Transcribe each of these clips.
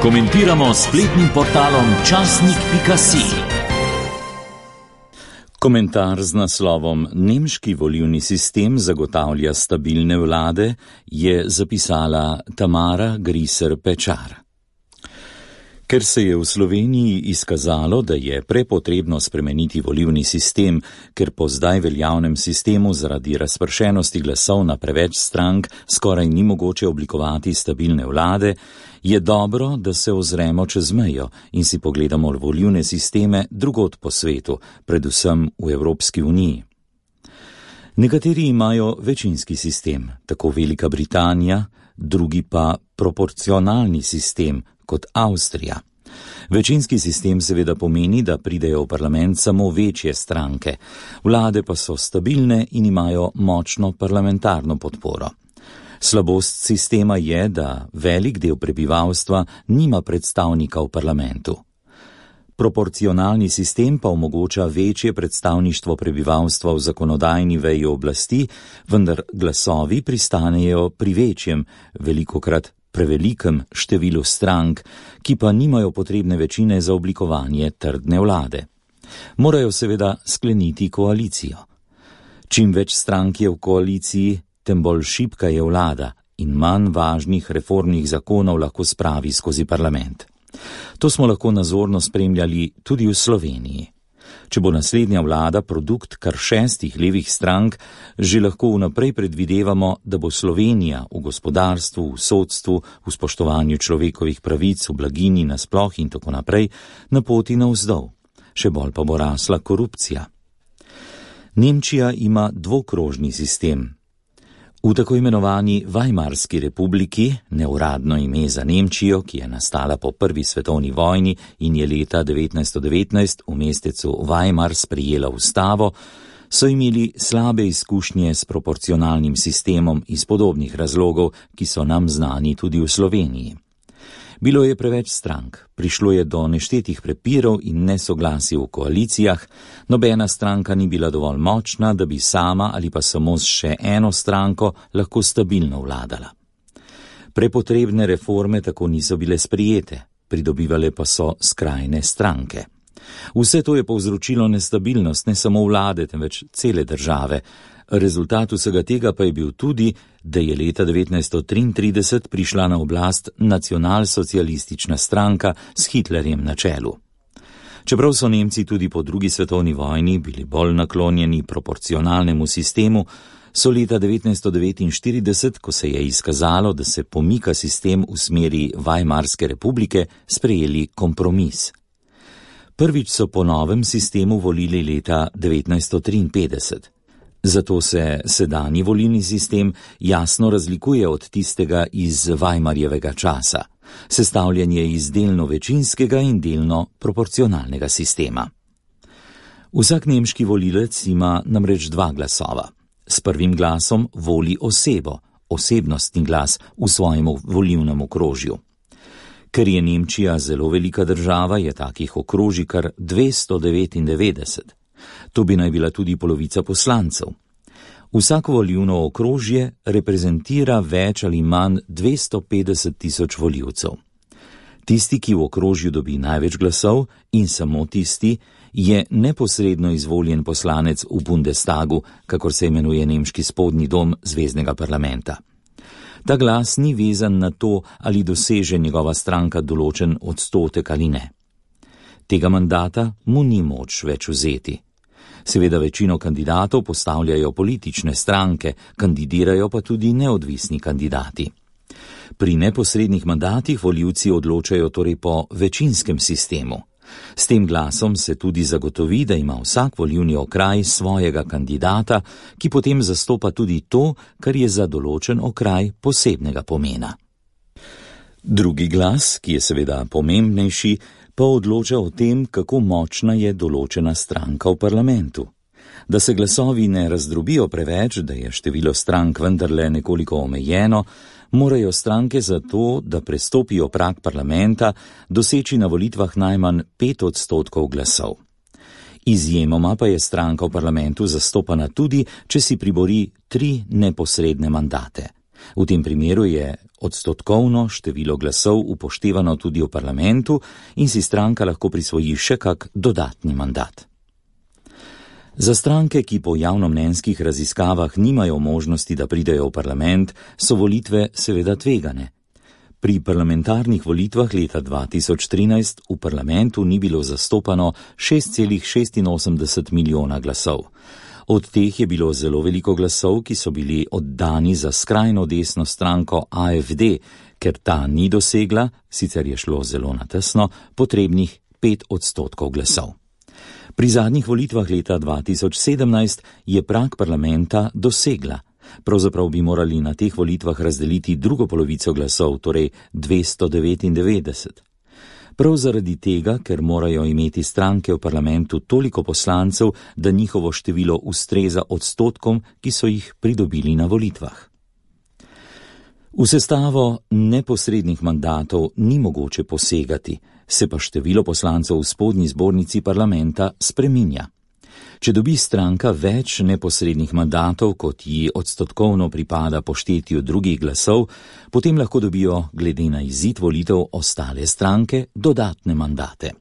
Komentiramo spletnim portalom časnik.si. Komentar z naslovom Nemški volilni sistem zagotavlja stabilne vlade je zapisala Tamara Griser-Pečar. Ker se je v Sloveniji izkazalo, da je prepotrebno spremeniti volilni sistem, ker po zdaj veljavnem sistemu zaradi razpršenosti glasov na preveč strank skoraj ni mogoče oblikovati stabilne vlade, je dobro, da se ozremo čez mejo in si pogledamo volilne sisteme drugod po svetu, predvsem v Evropski uniji. Nekateri imajo večinski sistem, tako Velika Britanija, drugi pa proporcionalni sistem, kot Avstrija. Večinski sistem seveda pomeni, da pridejo v parlament samo večje stranke, vlade pa so stabilne in imajo močno parlamentarno podporo. Slabost sistema je, da velik del prebivalstva nima predstavnika v parlamentu. Proporcionalni sistem pa omogoča večje predstavništvo prebivalstva v zakonodajni veji oblasti, vendar glasovi pristanejo pri večjem, velikokrat prevelikem številu strank, ki pa nimajo potrebne večine za oblikovanje trdne vlade. Morajo seveda skleniti koalicijo. Čim več strank je v koaliciji, tem bolj šibka je vlada in manj važnih reformnih zakonov lahko spravi skozi parlament. To smo lahko nazorno spremljali tudi v Sloveniji. Če bo naslednja vlada produkt kar 6 levih strank, že lahko vnaprej predvidevamo, da bo Slovenija v gospodarstvu, v sodstvu, v spoštovanju človekovih pravic, v blaginji nasploh in tako naprej na poti navzdol. Še bolj pa bo rasla korupcija. Nemčija ima dvokrožni sistem. V tako imenovani Weimarski republiki, neuradno ime za Nemčijo, ki je nastala po prvi svetovni vojni in je leta 1919 v mestecu Weimar sprejela ustavo, so imeli slabe izkušnje s proporcionalnim sistemom iz podobnih razlogov, ki so nam znani tudi v Sloveniji. Bilo je preveč strank, prišlo je do neštetih prepirov in nesoglasij v koalicijah, nobena stranka ni bila dovolj močna, da bi sama ali pa samo s še eno stranko lahko stabilno vladala. Prepotrebne reforme tako niso bile sprijete, pridobivale pa so skrajne stranke. Vse to je povzročilo nestabilnost ne samo vlade, temveč cele države. Rezultat vsega tega pa je bil tudi, da je leta 1933 prišla na oblast nacionalsocialistična stranka s Hitlerjem na čelu. Čeprav so Nemci tudi po drugi svetovni vojni bili bolj naklonjeni proporcionalnemu sistemu, so leta 1949, ko se je izkazalo, da se pomika sistem v smeri Weimarske republike, sprejeli kompromis. Prvič so po novem sistemu volili leta 1953. Zato se sedanji volilni sistem jasno razlikuje od tistega iz Weimarjevega časa. Sestavljen je iz delno večinskega in delno proporcionalnega sistema. Vsak nemški volilec ima namreč 2 glasova. S prvim glasom voli osebo, osebnostni glas v svojem volilnem okrožju. Ker je Nemčija zelo velika država, je takih okrožij kar 299. To bi naj bila tudi polovica poslancev. Vsako volilno okrožje reprezentira več ali manj 250.000 volivcev. Tisti, ki v okrožju dobi največ glasov in samo tisti, je neposredno izvoljen poslanec v Bundestagu, kakor se imenuje nemški spodnji dom zveznega parlamenta. Ta glas ni vezan na to, ali doseže njegova stranka določen odstotek ali ne. Tega mandata mu ni moč več vzeti. Seveda večino kandidatov postavljajo politične stranke, kandidirajo pa tudi neodvisni kandidati. Pri neposrednih mandatih volivci odločajo torej po večinskem sistemu. S tem glasom se tudi zagotovi, da ima vsak volilni okraj svojega kandidata, ki potem zastopa tudi to, kar je za določen okraj posebnega pomena. Drugi glas, ki je seveda pomembnejši, pa odloča o tem, kako močna je določena stranka v parlamentu. Da se glasovi ne razdrobijo preveč, da je število strank vendarle nekoliko omejeno, morajo stranke za to, da prestopijo prag parlamenta, doseči na volitvah najmanj 5% glasov. Izjemoma pa je stranka v parlamentu zastopana tudi, če si pribori 3 neposredne mandate. V tem primeru je odstotkovno število glasov upoštevano tudi v parlamentu in si stranka lahko prisvoji še kak dodatni mandat. Za stranke, ki po javnomnenjskih raziskavah nimajo možnosti, da pridejo v parlament, so volitve seveda tvegane. Pri parlamentarnih volitvah leta 2013 v parlamentu ni bilo zastopano 6,86 milijona glasov. Od teh je bilo zelo veliko glasov, ki so bili oddani za skrajno desno stranko AfD, ker ta ni dosegla, sicer je šlo zelo na tesno, potrebnih 5% glasov. Pri zadnjih volitvah leta 2017 je prag parlamenta dosegla. Pravzaprav bi morali na teh volitvah razdeliti drugo polovico glasov, torej 299. Prav zaradi tega, ker morajo imeti stranke v parlamentu toliko poslancev, da njihovo število ustreza odstotkom, ki so jih pridobili na volitvah. V sestavo neposrednih mandatov ni mogoče posegati, se pa število poslancev v spodnji zbornici parlamenta spreminja. Če dobi stranka več neposrednih mandatov, kot ji odstotkovno pripada po štetju drugih glasov, potem lahko dobijo, glede na izid volitev, ostale stranke dodatne mandate.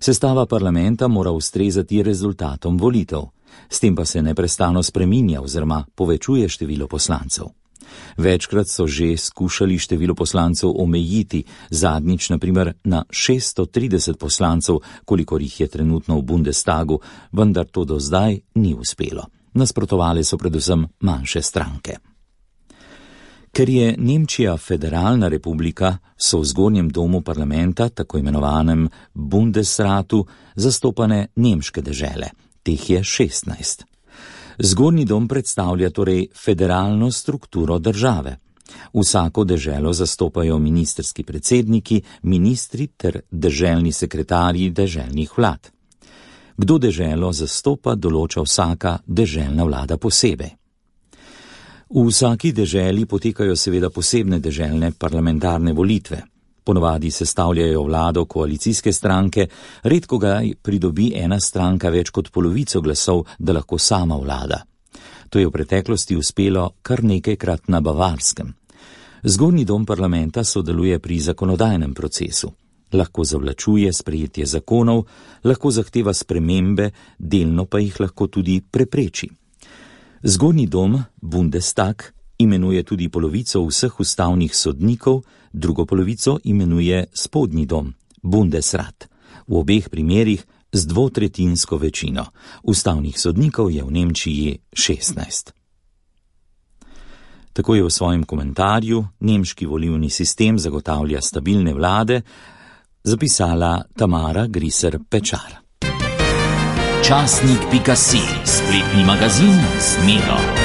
Sestava parlamenta mora ustrezati rezultatom volitev, s tem pa se neprestano spreminja oziroma povečuje število poslancev. Večkrat so že skušali število poslancev omejiti, zadnjič na primer na 630 poslancev, kolikor jih je trenutno v Bundestagu, vendar to do zdaj ni uspelo. Nasprotovale so predvsem manjše stranke. Ker je Nemčija federalna republika, so v zgornjem domu parlamenta, tako imenovanem Bundesratu, zastopane nemške dežele. Teh je 16. Zgornji dom predstavlja torej federalno strukturo države. Vsako deželo zastopajo ministrski predsedniki, ministri ter deželni sekretarji deželnih vlad. Kdo deželo zastopa, določa vsaka deželna vlada posebej. V vsaki deželi potekajo seveda posebne deželne parlamentarne volitve. Ponovadi sestavljajo vlado koalicijske stranke, redko ga pridobi ena stranka več kot polovico glasov, da lahko sama vlada. To je v preteklosti uspelo kar nekajkrat na Bavarskem. Zgornji dom parlamenta sodeluje pri zakonodajnem procesu. Lahko zavlačuje sprejetje zakonov, lahko zahteva spremembe, delno pa jih lahko tudi prepreči. Zgornji dom, Bundestag, imenuje tudi polovico vseh ustavnih sodnikov, drugo polovico imenuje spodnji dom, Bundesrat. V obeh primerih z dvotretjinsko večino. Ustavnih sodnikov je v Nemčiji 16. Tako je v svojem komentarju Nemški volilni sistem zagotavlja stabilne vlade zapisala Tamara Griser Pečar. Časnik.si, spletni magazin z Miro.